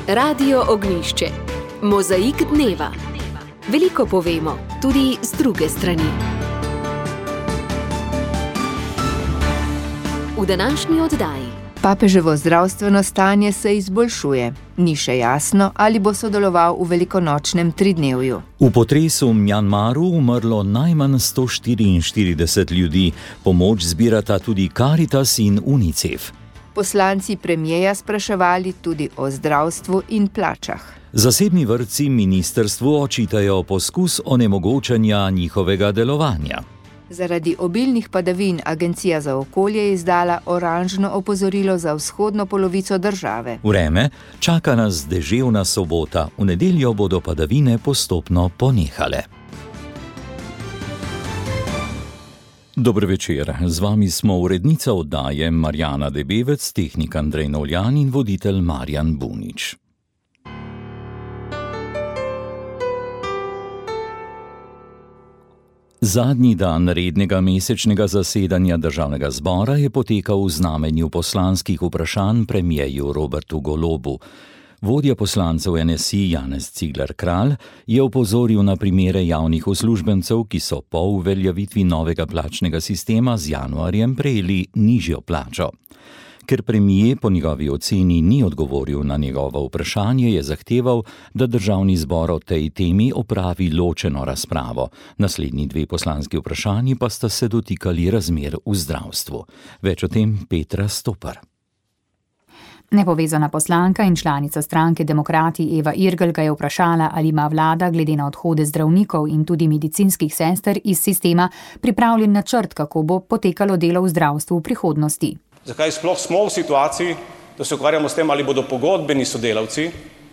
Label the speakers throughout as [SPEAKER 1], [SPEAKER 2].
[SPEAKER 1] Radio Ognjišče. Mozaik dneva. Veliko povemo, tudi z druge strani. V današnji oddaji.
[SPEAKER 2] Papeževo zdravstveno stanje se izboljšuje. Ni še jasno, ali bo sodeloval v velikonočnem tridnevju.
[SPEAKER 3] V potresu v Mjanmaru umrlo najmanj 144 ljudi. Pomoč zbirata tudi Caritas in UNICEF.
[SPEAKER 2] Poslanci premierja spraševali tudi o zdravstvu in plačah.
[SPEAKER 3] Zasebni vrtci ministrstvu očitajo poskus onemogočanja njihovega delovanja.
[SPEAKER 2] Zaradi obilnih padavin Agencija za okolje je izdala oranžno opozorilo za vzhodno polovico države.
[SPEAKER 3] Vreme, čaka nas deževna sobota, v nedeljo bodo padavine postopno ponehale. Dober večer, z vami smo urednica oddaje Marjana Debevec, tehnik Andrej Novljan in voditelj Marjan Bunič. Zadnji dan rednega mesečnega zasedanja državnega zbora je potekal v znamenju poslanskih vprašanj premierju Robertu Golobu. Vodja poslancev NSI Janez Cigler Kralj je opozoril na primere javnih uslužbencev, ki so po uveljavitvi novega plačnega sistema z januarjem prejeli nižjo plačo. Ker premijer po njegovi oceni ni odgovoril na njegovo vprašanje, je zahteval, da državni zbor o tej temi opravi ločeno razpravo. Naslednji dve poslanski vprašanji pa sta se dotikali razmer v zdravstvu. Več o tem Petra Stopar.
[SPEAKER 4] Nepovezana poslanka in članica stranke Demokrati Eva Irgl ga je vprašala, ali ima vlada glede na odhode zdravnikov in tudi medicinskih sester iz sistema pripravljen načrt, kako bo potekalo delo v zdravstvu v prihodnosti.
[SPEAKER 5] Zakaj sploh smo v situaciji, da se ukvarjamo s tem, ali bodo pogodbeni sodelavci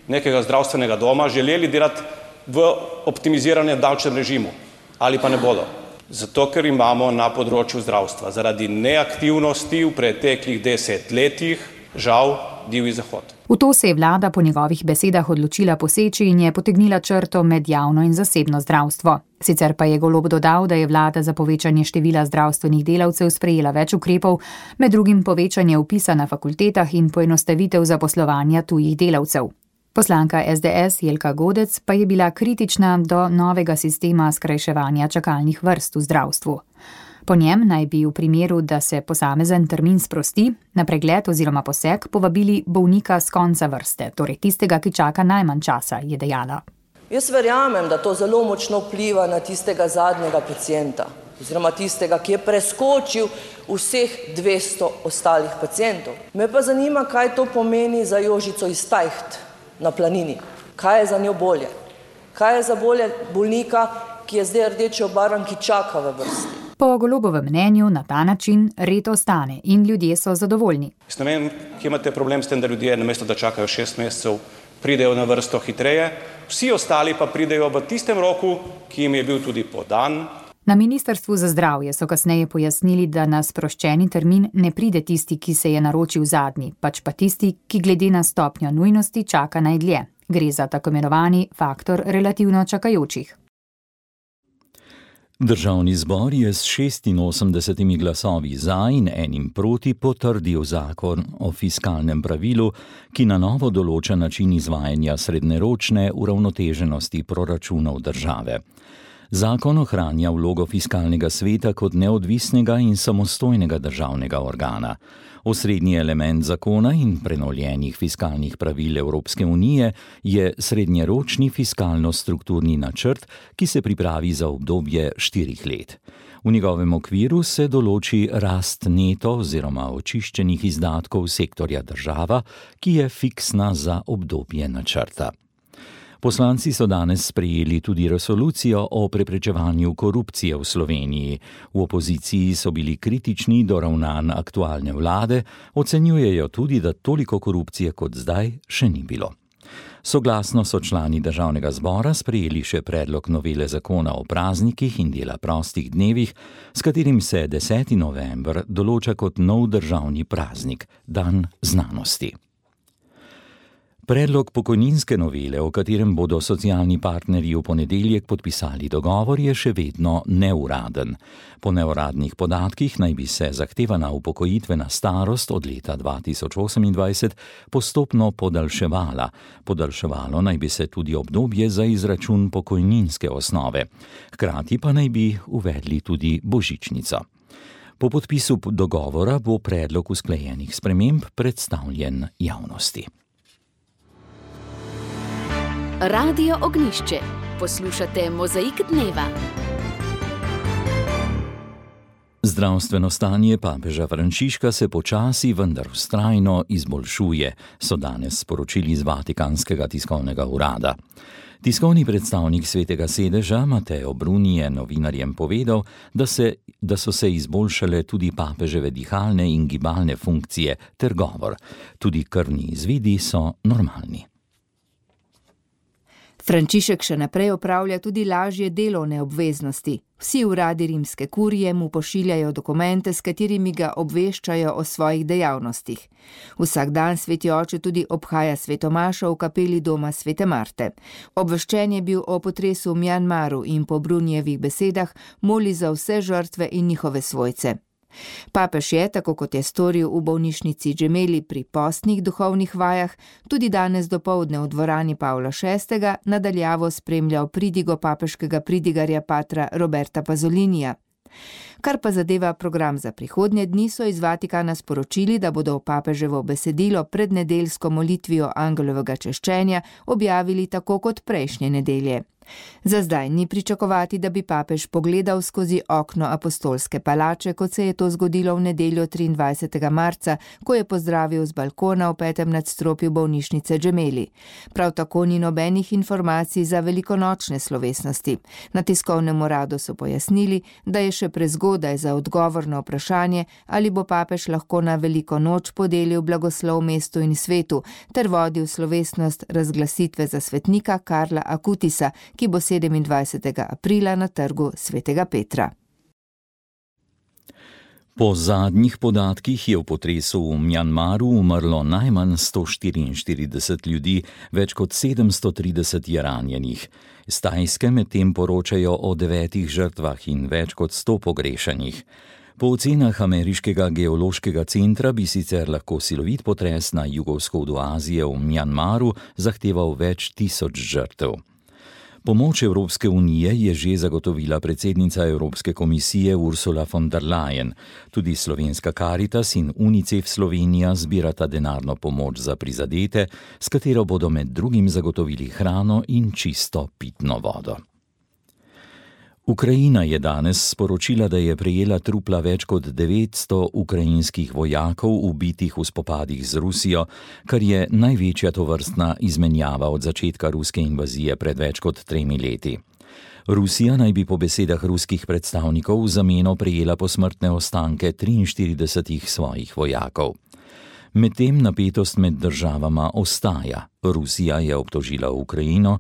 [SPEAKER 5] nekega zdravstvenega doma želeli delati v optimiziranem davčnem režimu ali pa ne bodo? Zato, ker imamo na področju zdravstva zaradi neaktivnosti v preteklih 10 letih žal divji zahod.
[SPEAKER 4] V to se je vlada po njegovih besedah odločila poseči in je potegnila črto med javno in zasebno zdravstvo. Sicer pa je Golob dodal, da je vlada za povečanje števila zdravstvenih delavcev sprejela več ukrepov, med drugim povečanje vpisa na fakultetah in poenostavitev zaposlovanja tujih delavcev. Poslanka SDS Jelka Godec pa je bila kritična do novega sistema skrajševanja čakalnih vrst v zdravstvu. Po njem naj bi v primeru, da se posamezen termin sprosti, na pregled oziroma poseg povabili bolnika s konca vrste, torej tistega, ki čaka najmanj časa, je dejala.
[SPEAKER 6] Jaz verjamem, da to zelo močno vpliva na tistega zadnjega pacienta, oziroma tistega, ki je preskočil vseh 200 ostalih pacientov. Me pa zanima, kaj to pomeni za Jožico iz Tajht na Planini. Kaj je za njo bolje? Kaj je za bolje bolnika, ki je zdaj rdeče obarvan, ki čaka v vrsti?
[SPEAKER 4] Po Golobovem mnenju na ta način red ostane in ljudje so zadovoljni.
[SPEAKER 5] Jaz ne vem, kje imate problem s tem, da ljudje namesto da čakajo 6 mesecev, pridejo na vrsto hitreje, vsi ostali pa pridejo v tistem roku, ki jim je bil tudi podan.
[SPEAKER 4] Na Ministrstvu za zdravje so kasneje pojasnili, da na sproščeni termin ne pride tisti, ki se je naročil zadnji, pač pa tisti, ki glede na stopnjo nujnosti čaka najdlje. Gre za tako imenovani faktor relativno čakajočih.
[SPEAKER 3] Državni zbor je s 86 glasovi za in enim proti potrdil zakon o fiskalnem pravilu, ki na novo določa način izvajanja srednjeročne uravnoteženosti proračunov države. Zakon ohranja vlogo fiskalnega sveta kot neodvisnega in samostojnega državnega organa. Osrednji element zakona in prenovljenih fiskalnih pravil Evropske unije je srednjeročni fiskalno-strukturni načrt, ki se pripravi za obdobje 4 let. V njegovem okviru se določi rast neto oziroma očiščenih izdatkov sektorja država, ki je fiksna za obdobje načrta. Poslanci so danes sprejeli tudi resolucijo o preprečevanju korupcije v Sloveniji. V opoziciji so bili kritični do ravnanj aktualne vlade, ocenjujejo tudi, da toliko korupcije kot zdaj še ni bilo. Soglasno so člani državnega zbora sprejeli še predlog novele zakona o praznikih in dela prostih dnevih, s katerim se 10. november določa kot nov državni praznik, dan znanosti. Predlog pokojninske novele, o katerem bodo socialni partnerji v ponedeljek podpisali dogovor, je še vedno neuraden. Po neuradnih podatkih naj bi se zahtevana upokojitvena starost od leta 2028 postopno podaljševala. Podaljševalo naj bi se tudi obdobje za izračun pokojninske osnove. Hkrati pa naj bi uvedli tudi božičnico. Po podpisu dogovora bo predlog usklajenih sprememb predstavljen javnosti.
[SPEAKER 1] Radio Ognjišče. Poslušate Mozaik dneva.
[SPEAKER 3] Zdravstveno stanje papeža Frančiška se počasi, vendar vztrajno izboljšuje, so danes sporočili iz Vatikanskega tiskovnega urada. Tiskovni predstavnik Svetega sedeža Mateo Bruni je novinarjem povedal, da so se izboljšale tudi papeževe dihalne in gibalne funkcije ter govor. Tudi krvni izvidi so normalni.
[SPEAKER 2] Frančišek še naprej opravlja tudi lažje delovne obveznosti. Vsi uradi rimske kurije mu pošiljajo dokumente, s katerimi ga obveščajo o svojih dejavnostih. Vsak dan sveti oče tudi obhaja svetomašo v kapeli doma Svete Marte. Obveščen je bil o potresu v Mjanmaru in po Brunijevih besedah moli za vse žrtve in njihove svojce. Papež je, tako kot je storil v bolnišnici Gemelli pri postnih duhovnih vajah, tudi danes dopoldne v dvorani Pavla VI. Nadaljavo spremljal pridigo papeškega pridigarja patra Roberta Pazolinija. Kar pa zadeva program za prihodnje dni, so iz Vatikana sporočili, da bodo papeževo besedilo pred nedeljsko molitvijo angelovega češčenja objavili tako kot prejšnje nedelje. Za zdaj ni pričakovati, da bi papež pogledal skozi okno apostolske palače, kot se je to zgodilo v nedeljo 23. marca, ko je pozdravil z balkona v 5. nadstropju bolnišnice Gemelli. Prav tako ni nobenih informacij za velikonočne slovesnosti. Na tiskovnem uradu so pojasnili, da je še prezgodaj za odgovor na vprašanje, ali bo papež lahko na veliko noč podelil blagoslov mestu in svetu ter vodil slovesnost razglasitve za svetnika Karla Akutisa, ki bo 27. aprila na trgu Svetega Petra.
[SPEAKER 3] Po zadnjih podatkih je v potresu v Mjanmaru umrlo najmanj 144 ljudi, več kot 730 je ranjenih. Z Tajske medtem poročajo o 9 žrtvah in več kot 100 pogrešanih. Po ocenah ameriškega geološkega centra bi sicer lahko silovit potres na jugovzhodu Azije v Mjanmaru zahteval več tisoč žrtev. Pomoč Evropske unije je že zagotovila predsednica Evropske komisije Ursula von der Leyen. Tudi slovenska Caritas in UNICEF Slovenija zbirata denarno pomoč za prizadete, s katero bodo med drugim zagotovili hrano in čisto pitno vodo. Ukrajina je danes sporočila, da je prejela trupla več kot 900 ukrajinskih vojakov ubitih v spopadih z Rusijo, kar je največja tovrstna izmenjava od začetka ruske invazije pred več kot 3 leti. Rusija naj bi po besedah ruskih predstavnikov v zameno prejela posmrtne ostanke 43 svojih vojakov. Medtem napetost med državama ostaja. Rusija je obtožila Ukrajino,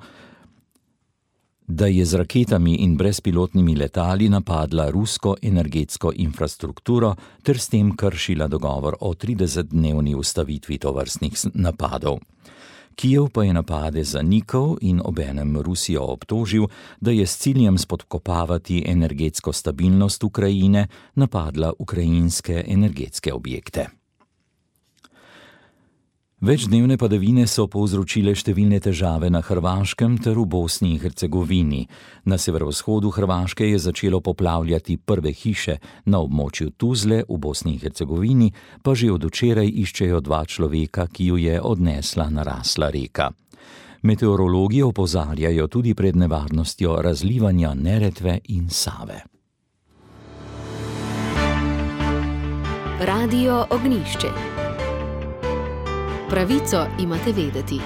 [SPEAKER 3] da je z raketami in brezpilotnimi letali napadla rusko energetsko infrastrukturo ter s tem kršila dogovor o 30-dnevni ustavitvi tovrstnih napadov. Kijev pa je napade zanikal in obenem Rusijo obtožil, da je s ciljem spodkopavati energetsko stabilnost Ukrajine napadla ukrajinske energetske objekte. Večdnevne padavine so povzročile številne težave na Hrvaškem ter v Bosni in Hercegovini. Na severovzhodu Hrvaške je začelo poplavljati prve hiše, na območju Tuzle v Bosni in Hercegovini pa že od včeraj iščejo 2 človeka, ki ju je odnesla narasla reka. Meteorologi opozarjajo tudi pred nevarnostjo razlivanja Neretve in Save.
[SPEAKER 1] Radio Ognjišče. Pravico imate vedeti.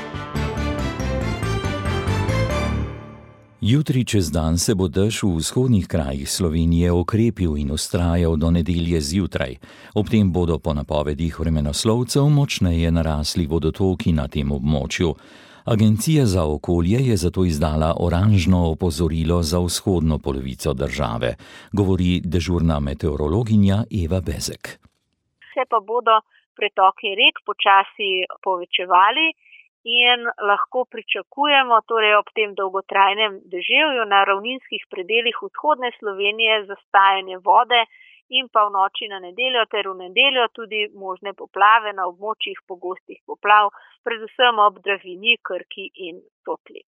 [SPEAKER 3] Jutri čez dan se bo dež v vzhodnih krajih Slovenije okrepil in vztrajal do nedelje zjutraj. Ob tem bodo po napovedih vremenoslovcev močneje narasli vodotoki na tem območju. Agencija za okolje je zato izdala oranžno opozorilo za vzhodno polovico države, govori dežurna meteorologinja Eva Bezek.
[SPEAKER 7] Se pa bodo pretoki rek počasi povečevali in lahko pričakujemo torej ob tem dolgotrajnem deževju na ravninskih predelih vzhodne Slovenije zastajanje vode in pa v noči na nedeljo ter v nedeljo tudi možne poplave na območjih pogostih poplav, predvsem ob Dravinji, Krki in Sotli.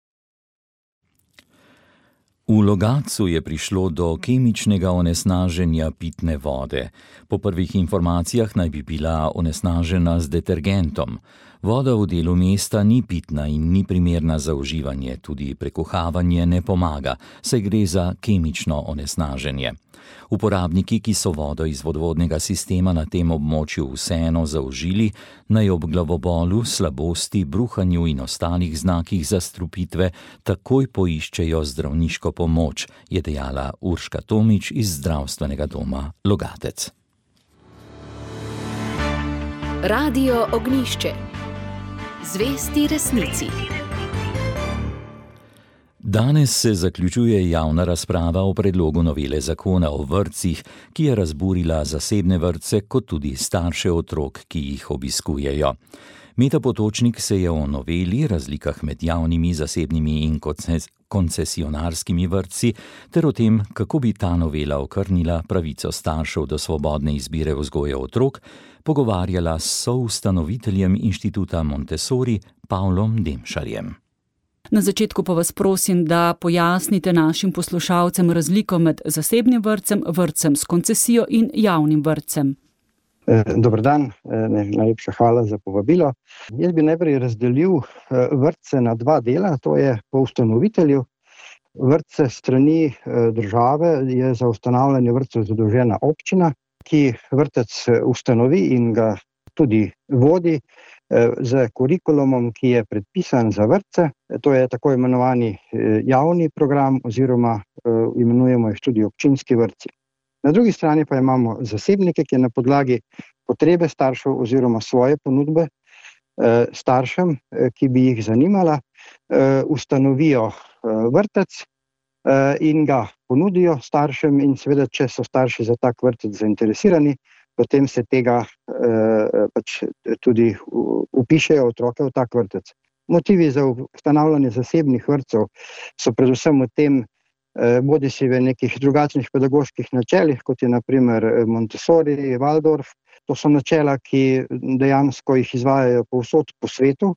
[SPEAKER 3] V Logatcu je prišlo do kemičnega onesnaženja pitne vode. Po prvih informacijah naj bi bila onesnažena z detergentom. Voda v delu mesta ni pitna in ni primerna za uživanje, tudi prekuhavanje ne pomaga, saj gre za kemično onesnaženje. Uporabniki, ki so vodo iz vodovodnega sistema na tem območju vseeno zaužili, naj ob glavobolu, slabosti, bruhanju in ostalih znakih zastrupitve takoj poiščejo zdravniško pomoč, je dejala Urška Tomič iz Zdravstvenega doma Logatec.
[SPEAKER 1] Radio Ognjišče. Zvesti resnici.
[SPEAKER 3] Danes se zaključuje javna razprava o predlogu novele zakona o vrtcih, ki je razburila zasebne vrtce kot tudi starše otrok, ki jih obiskujejo. Meta Potočnik se je o noveli, razlikah med javnimi, zasebnimi in koncesionarskimi vrtci ter o tem, kako bi ta novela okrnila pravico staršev do svobodne izbire vzgoje otrok, pogovarjala s soustanoviteljem inštituta Montessori Pavlom Demšarjem.
[SPEAKER 8] Na začetku pa vas prosim, da pojasnite našim poslušalcem razliko med zasebnim vrtcem, vrtcem s koncesijo in javnim vrtcem.
[SPEAKER 9] Dober dan, najlepša hvala za povabilo. Jaz bi najprej razdelil vrtce na dva dela, to je po ustanovitelju. Vrtce strani države je za ustanavljanje vrtcev zadolžena občina, ki vrtec ustanovi in ga tudi vodi z kurikulumom, ki je predpisan za vrtce. To je tako imenovani javni program oziroma imenujemo jih tudi občinski vrtci. Na drugi strani pa imamo zasebnike, ki na podlagi potrebe staršev oziroma svoje ponudbe staršem, ki bi jih zanimala, ustanovijo vrtec in ga ponudijo staršem in seveda, če so starši za tak vrtec zainteresirani, potem se tega tudi vpišejo otroke v tak vrtec. Motivi za ustanavljanje zasebnih vrtcev so predvsem v tem, bodisi v nekih drugačnih pedagoških načelih, kot je na primer Montessori, Waldorf. To so načela, ki dejansko jih izvajajo povsod po svetu.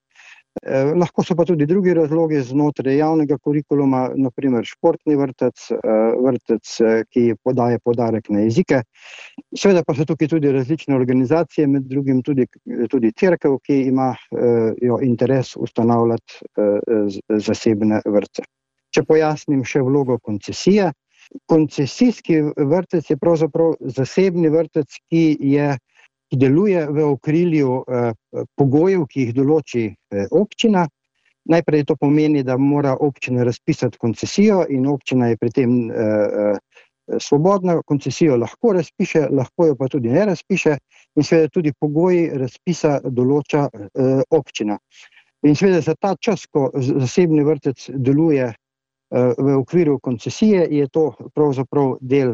[SPEAKER 9] Lahko so pa tudi drugi razlogi znotraj javnega kurikuluma, na primer športni vrtec, vrtec, ki podaja poudarek na jezike. Seveda pa so tukaj tudi različne organizacije, med drugim tudi cerkev, ki ima interes ustanavljati zasebne vrtce. Če pojasnim še vlogo koncesije. Koncesijski vrtec je pravzaprav zasebni vrtec, ki deluje v okrilju pogojev, ki jih določi občina. Najprej to pomeni, da mora občina razpisati koncesijo in občina je pri tem svobodna. Koncesijo lahko razpiše, lahko jo pa tudi ne razpiše in seveda tudi pogoji razpisa določa občina. In seveda za ta čas, ko zasebni vrtec deluje v okviru koncesije, je to pravzaprav del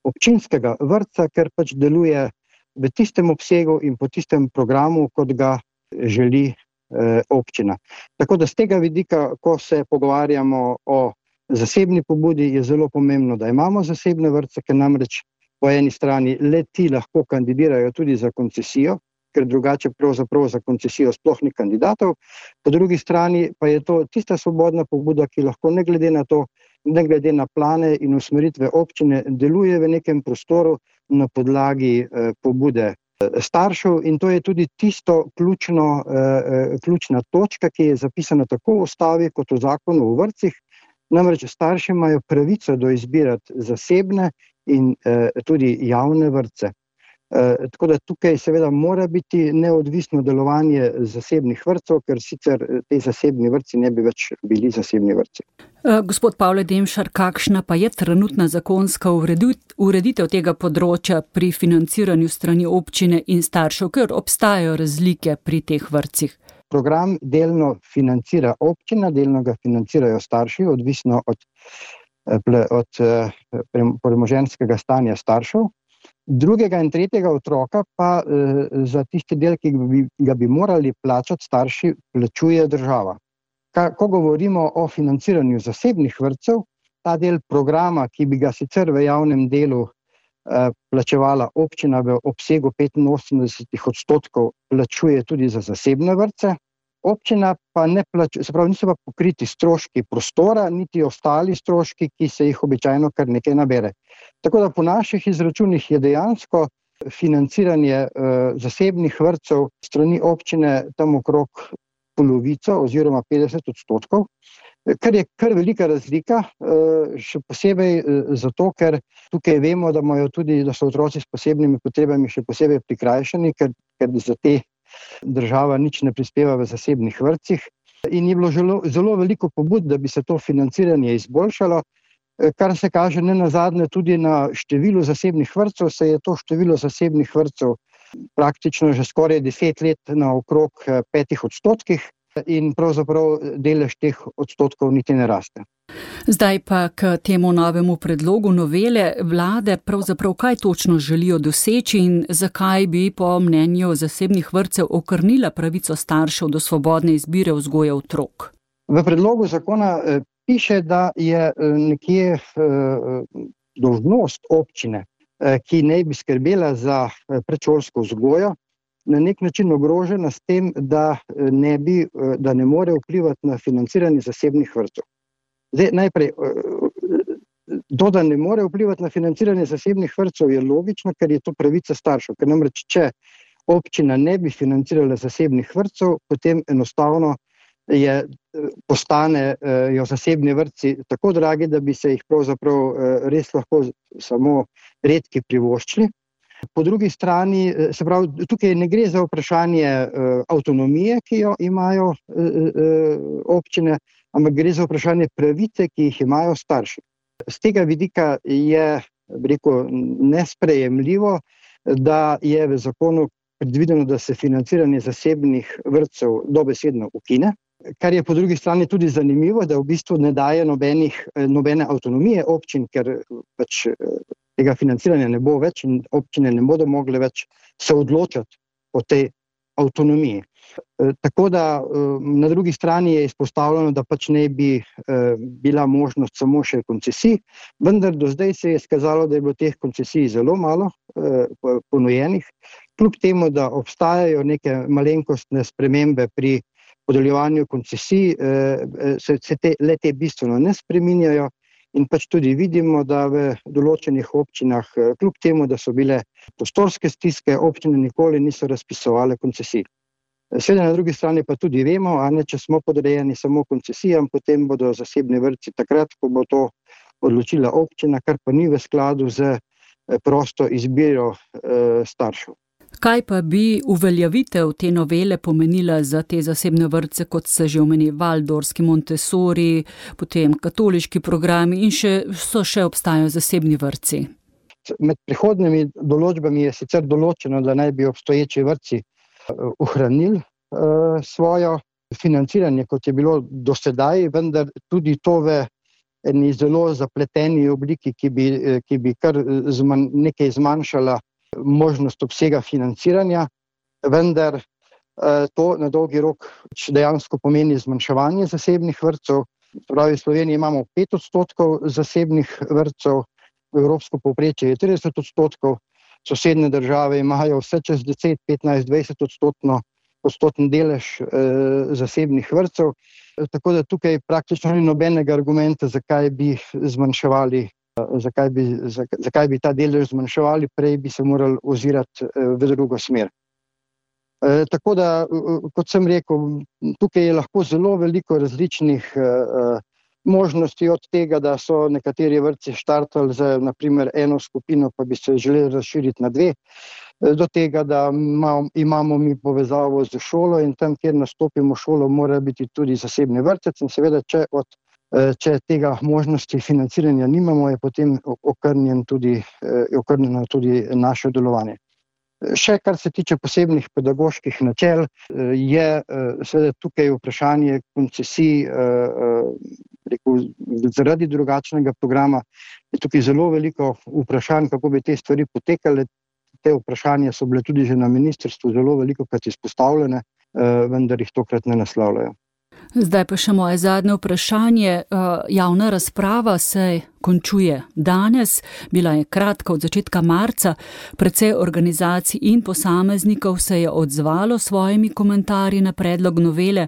[SPEAKER 9] občinskega vrtca, ker pač deluje v tistem obsegu in po tistem programu, kot ga želi občina. Tako da z tega vidika, ko se pogovarjamo o zasebni pobudi, je zelo pomembno, da imamo zasebne vrtce, ker namreč po eni strani le ti lahko kandidirajo tudi za koncesijo, ker drugače pravzaprav za koncesijo sploh ni kandidatov. Po drugi strani pa je to tista svobodna pobuda, ki lahko ne glede na to, ne glede na plane in usmeritve občine, deluje v nekem prostoru na podlagi pobude staršev in to je tudi tisto ključna točka, ki je zapisana tako v ustavi kot v zakonu o vrtcih. Namreč starši imajo pravico do izbirati zasebne in tudi javne vrtce. Tako da tukaj seveda mora biti neodvisno delovanje zasebnih vrtcev, ker sicer te zasebni vrtci ne bi več bili zasebni vrtci.
[SPEAKER 8] Gospod Pavle Demšar, kakšna pa je trenutna zakonska ureditev tega področja pri financiranju strani občine in staršev, ker obstajajo razlike pri teh vrtcih?
[SPEAKER 9] Program delno financira občina, delno ga financirajo starši, odvisno od premoženjskega stanja staršev. Drugega in tretjega otroka pa za tisti del, ki ga bi morali plačati starši, plačuje država. Ko govorimo o financiranju zasebnih vrtcev, ta del programa, ki bi ga sicer v javnem delu plačevala občina v obsegu 85%, plačuje tudi za zasebne vrtce. Občina pa ne plačuje, se pravi, niso pa pokriti stroški prostora, niti ostali stroški, ki se jih običajno kar nekaj nabere. Tako da po naših izračunih je dejansko financiranje zasebnih vrtcev strani občine tam okrog polovico oziroma 50%, kar je kar velika razlika, še posebej zato, ker tukaj vemo, da so otroci s posebnimi potrebami še posebej prikrajšani, ker za te država nič ne prispeva v zasebnih vrtcih in je bilo zelo veliko pobud, da bi se to financiranje izboljšalo, kar se kaže nenazadnje tudi na številu zasebnih vrtcev, se je to število zasebnih vrtcev praktično že skoraj 10 let na okrog 5% in pravzaprav delež teh odstotkov niti ne raste.
[SPEAKER 8] Zdaj pa k temu novemu predlogu novele vlade, pravzaprav kaj točno želijo doseči in zakaj bi po mnenju zasebnih vrtcev okrnila pravico staršev do svobodne izbire vzgoje otrok?
[SPEAKER 9] V predlogu zakona piše, da je nekje dolžnost občine, ki naj bi skrbela za predšolsko vzgojo, na nek način ogrožena s tem, da ne more vplivati na financiranje zasebnih vrtcev. Zdaj, najprej, to, da ne more vplivati na financiranje zasebnih vrtcev, je logično, ker je to pravica staršev. Ker namreč, če občina ne bi financirala zasebnih vrtcev, potem enostavno postanejo zasebni vrtci tako dragi, da bi se jih pravzaprav res lahko samo redki privoščili. Po drugi strani, se pravi, tukaj ne gre za vprašanje avtonomije, ki jo imajo občine, ampak gre za vprašanje pravice, ki jih imajo starši. Z tega vidika je, nesprejemljivo, da je v zakonu predvideno, da se financiranje zasebnih vrtcev dobesedno ukine, kar je po drugi strani tudi zanimivo, da v bistvu ne daje nobene avtonomije občin, ker pač tega financiranja ne bo več in občine ne bodo mogle več se odločati o tej avtonomiji. Tako da na drugi strani je izpostavljeno, da pač ne bi bila možnost samo še koncesij, vendar do zdaj se je izkazalo, da je bilo teh koncesij zelo malo ponujenih, kljub temu, da obstajajo neke malenkostne spremembe pri podeljevanju koncesij, se te bistveno ne spreminjajo. In pač tudi vidimo, da v določenih občinah, kljub temu, da so bile prostorske stiske, občine nikoli niso razpisovale koncesij. Seveda na drugi strani pa tudi vemo, če smo podrejeni samo koncesijam, potem bodo zasebni vrtci takrat, ko bo to odločila občina, kar pa ni v skladu z prosto izbiro staršev.
[SPEAKER 8] Kaj pa bi uveljavitev te novele pomenila za te zasebne vrtce, kot se že omeni Valdorski, Montessori, potem katoliški programi in še obstajajo zasebni vrtci?
[SPEAKER 9] Med prihodnjimi določbami je sicer določeno, da naj bi obstoječi vrtci ohranili svojo financiranje, kot je bilo do sedaj, vendar tudi to v eni zelo zapleteni obliki, ki bi kar nekaj zmanjšala možnost obsega financiranja, vendar to na dolgi rok dejansko pomeni zmanjševanje zasebnih vrtcev. Pravi, v Sloveniji imamo 5% zasebnih vrtcev, evropsko povprečje je 30%, sosednje države imajo vse čez 10, 15, 20% delež zasebnih vrtcev, tako da tukaj praktično ni nobenega argumenta, zakaj bi zmanjševali. Zakaj bi ta delež zmanjševali, prej bi se morali ozirati v drugo smer. Tako da, kot sem rekel, tukaj je lahko zelo veliko različnih možnosti, od tega, da so nekateri vrtci štartali z naprimer eno skupino, pa bi se želeli razširiti na 2, do tega, da imamo mi povezavo z šolo in tam, kjer nastopimo šolo, mora biti tudi zasebni vrtec in seveda, če tega možnosti financiranja nimamo, je potem okrnjeno tudi naše delovanje. Še kar se tiče posebnih pedagoških načel, je seveda tukaj vprašanje koncesij, zaradi drugačnega programa, je tukaj zelo veliko vprašanj, kako bi te stvari potekale. te vprašanja so bile tudi že na ministrstvu zelo velikokrat izpostavljene, vendar jih tokrat ne naslavljajo.
[SPEAKER 8] Zdaj pa še moje zadnje vprašanje. Javna razprava se končuje danes, bila je kratka od začetka marca, precej organizacij in posameznikov se je odzvalo svojimi komentarji na predlog novele.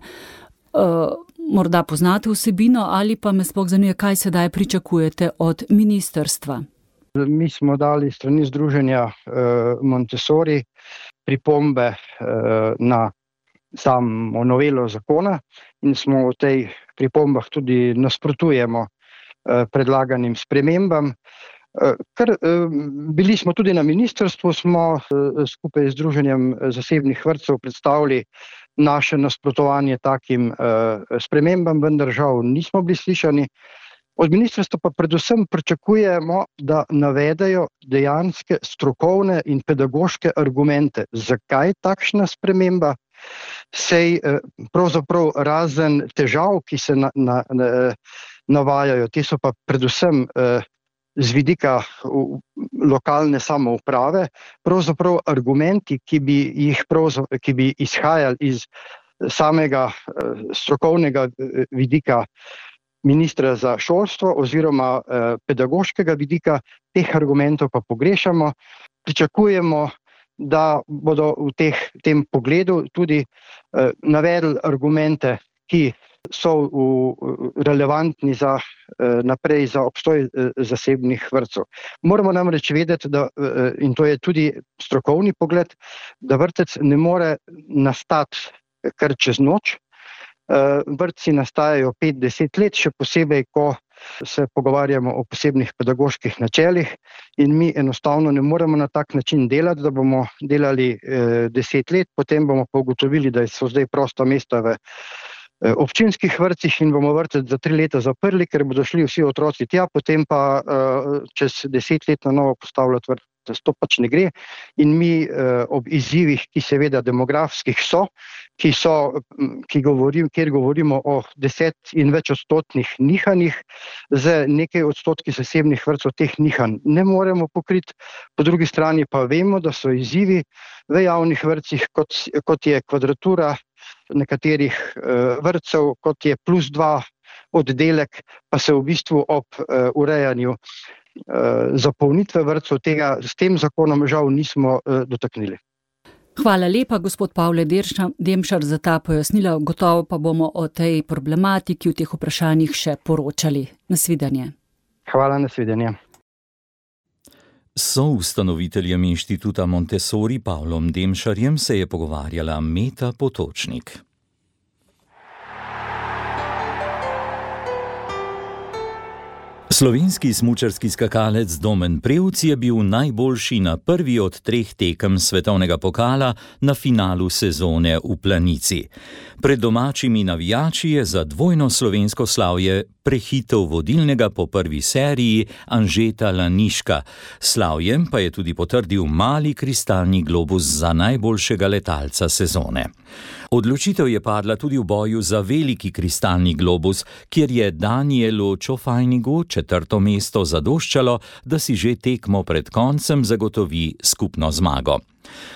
[SPEAKER 8] Morda poznate vsebino ali pa me sploh zanima, kaj sedaj pričakujete od ministrstva?
[SPEAKER 9] Mi smo dali strani združenja Montessori pripombe na samo novelo zakona in smo v tej pripombah tudi nasprotujemo predlaganim spremembam. Bili smo tudi na ministrstvu, smo skupaj z Združenjem zasebnih vrtcev predstavili naše nasprotovanje takim spremembam, vendar žal nismo bili slišani. Od ministrstva pa predvsem pričakujemo, da navedejo dejanske strokovne in pedagoške argumente, zakaj takšna sprememba. Sej pravzaprav razen težav, ki se navajajo, te so pa predvsem z vidika lokalne samouprave, pravzaprav argumenti, ki bi izhajali iz samega strokovnega vidika ministra za šolstvo oziroma pedagoškega vidika, teh argumentov pa pogrešamo. Pričakujemo, da bodo v tem pogledu tudi navedli argumente, ki so relevantni naprej za obstoj zasebnih vrtcev. Moramo namreč vedeti, in to je tudi strokovni pogled, da vrtec ne more nastati kar čez noč. Vrtci nastajajo 5-10 let, še posebej, ko se pogovarjamo o posebnih pedagoških načelih in mi enostavno ne moremo na tak način delati, da bomo delali 10 let, potem bomo pa ugotovili, da so zdaj prosta mesta v občinskih vrtcih in bomo vrtec za 3 leta zaprli, ker bodo šli vsi otroci tja, potem pa čez 10 let na novo postavljati vrtec. To pač ne gre in mi ob izzivih, ki seveda demografskih so, kjer govorimo o 10 in več odstotnih nihanjih, z nekaj odstotki zasebnih vrtcev teh nihanj ne moremo pokriti. Po drugi strani pa vemo, da so izzivi v javnih vrtcih, kot je kvadratura nekaterih vrtcev, kot je +2 oddelek, pa se v bistvu ob urejanju zapolnitve vrtcev tega s tem zakonom žal nismo dotaknili.
[SPEAKER 8] Hvala lepa, gospod Pavle Demšar, za ta pojasnila. Gotovo pa bomo o tej problematiki, v teh vprašanjih še poročali. Nasvidenje.
[SPEAKER 9] Hvala, nasvidenje.
[SPEAKER 3] S soustanoviteljem inštituta Montessori Pavlom Demšarjem se je pogovarjala Meta Potočnik. Slovenski smučarski skakalec Domen Prevc je bil najboljši na prvi od 3 tekem svetovnega pokala na finalu sezone v Planici. Pred domačimi navijači je za dvojno slovensko slavje prehitel vodilnega po prvi seriji Anžeta Laniška. Slavjem pa je tudi potrdil mali kristalni globus za najboljšega letalca sezone. Odločitev je padla tudi v boju za veliki kristalni globus, kjer je Danielu Čofajnigu 4. mesto zadoščalo, da si že tekmo pred koncem zagotovi skupno zmago.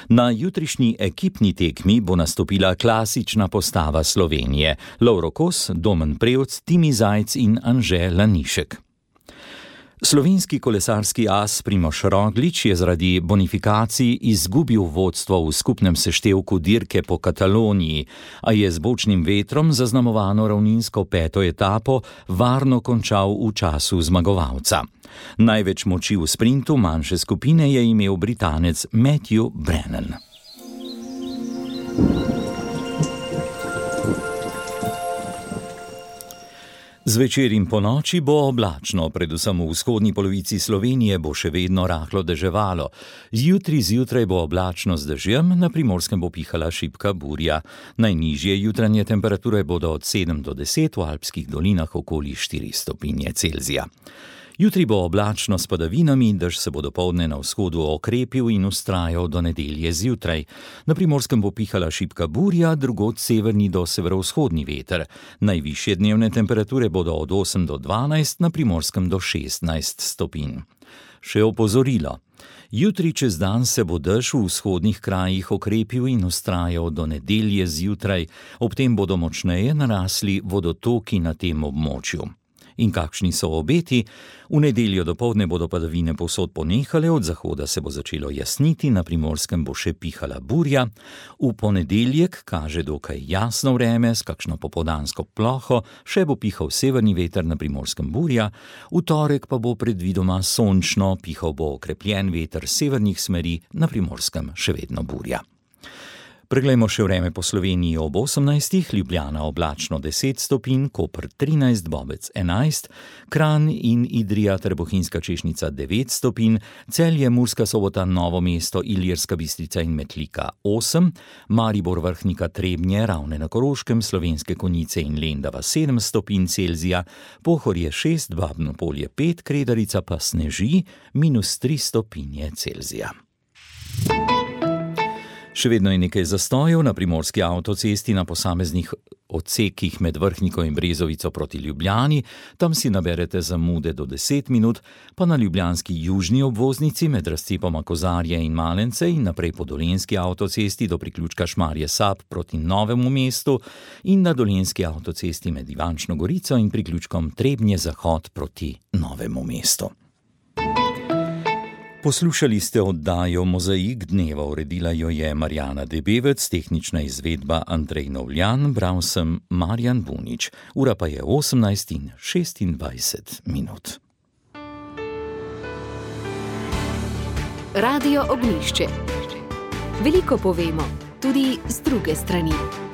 [SPEAKER 3] Na jutrišnji ekipni tekmi bo nastopila klasična postava Slovenije: Lovro Kos, Domen Prevc, Timi Zajc in Anže Lanišek. Slovenski kolesarski as Primož Roglič je zaradi bonifikacij izgubil vodstvo v skupnem seštevku dirke po Kataloniji, a je z bočnim vetrom zaznamovano ravninsko 5. etapo varno končal v času zmagovalca. Največ moči v sprintu manjše skupine je imel Britanec Matthew Brennan. Zvečer in ponoči bo oblačno, predvsem v vzhodni polovici Slovenije bo še vedno rahlo deževalo. Jutri zjutraj bo oblačno z dežjem, na Primorskem bo pihala šibka burja. Najnižje jutranje temperature bodo od 7 do 10, v alpskih dolinah okoli 4 stopinje Celzija. Jutri bo oblačno s padavinami, dež se bo dopoldne na vzhodu okrepil in vztrajal do nedelje zjutraj. Na Primorskem bo pihala šibka burja, drugod severni do severovzhodni veter. Najvišje dnevne temperature bodo od 8 do 12, na Primorskem do 16 stopinj. Še opozorilo. Jutri čez dan se bo dež v vzhodnih krajih okrepil in vztrajal do nedelje zjutraj, ob tem bodo močneje narasli vodotoki na tem območju. In kakšni so obeti? V nedeljo dopoldne bodo padavine povsod ponehale, od zahoda se bo začelo jasniti, na Primorskem bo še pihala burja. V ponedeljek kaže dokaj jasno vreme s kakšno popoldansko ploho, še bo pihal severni veter, na Primorskem burja. V torek pa bo predvidoma sončno, pihal bo okrepljen veter severnih smeri, na Primorskem še vedno burja. Preglejmo še vreme po Sloveniji ob 18, Ljubljana oblačno 10 stopinj, Koper 13, Bobec 11, Kranj in Idrija ter Bohinjska Češnica 9 stopinj, Celje, Murska Sobota, Novo mesto, Ilirska Bistrica in Metlika 8, Maribor, Vrhnika, Trebnje, Ravne na Koroškem, Slovenske Konjice in Lendava 7 stopinj Celzija, Pohorje 6, Babno Polje 5, Kredarica pa sneži -3 stopinje Celzija. Še vedno je nekaj zastojev na primorski avtocesti na posameznih odsekih med Vrhniko in Brezovico proti Ljubljani, tam si naberete zamude do 10 minut, pa na ljubljanski južni obvoznici med razcepoma Kozarje in Malence in naprej po dolenjski avtocesti do priključka Šmarje Sap proti Novemu mestu in na dolenjski avtocesti med Ivančno Gorico in priključkom Trebnje Zahod proti Novemu mestu. Poslušali ste oddajo Mozaik dneva, uredila jo je Marjana Debevec, tehnična izvedba Andrej Novljan, bral sem Marjan Bunič. Ura pa je 18:26 minut.
[SPEAKER 1] Radio Ognjišče. Veliko povemo, tudi z druge strani.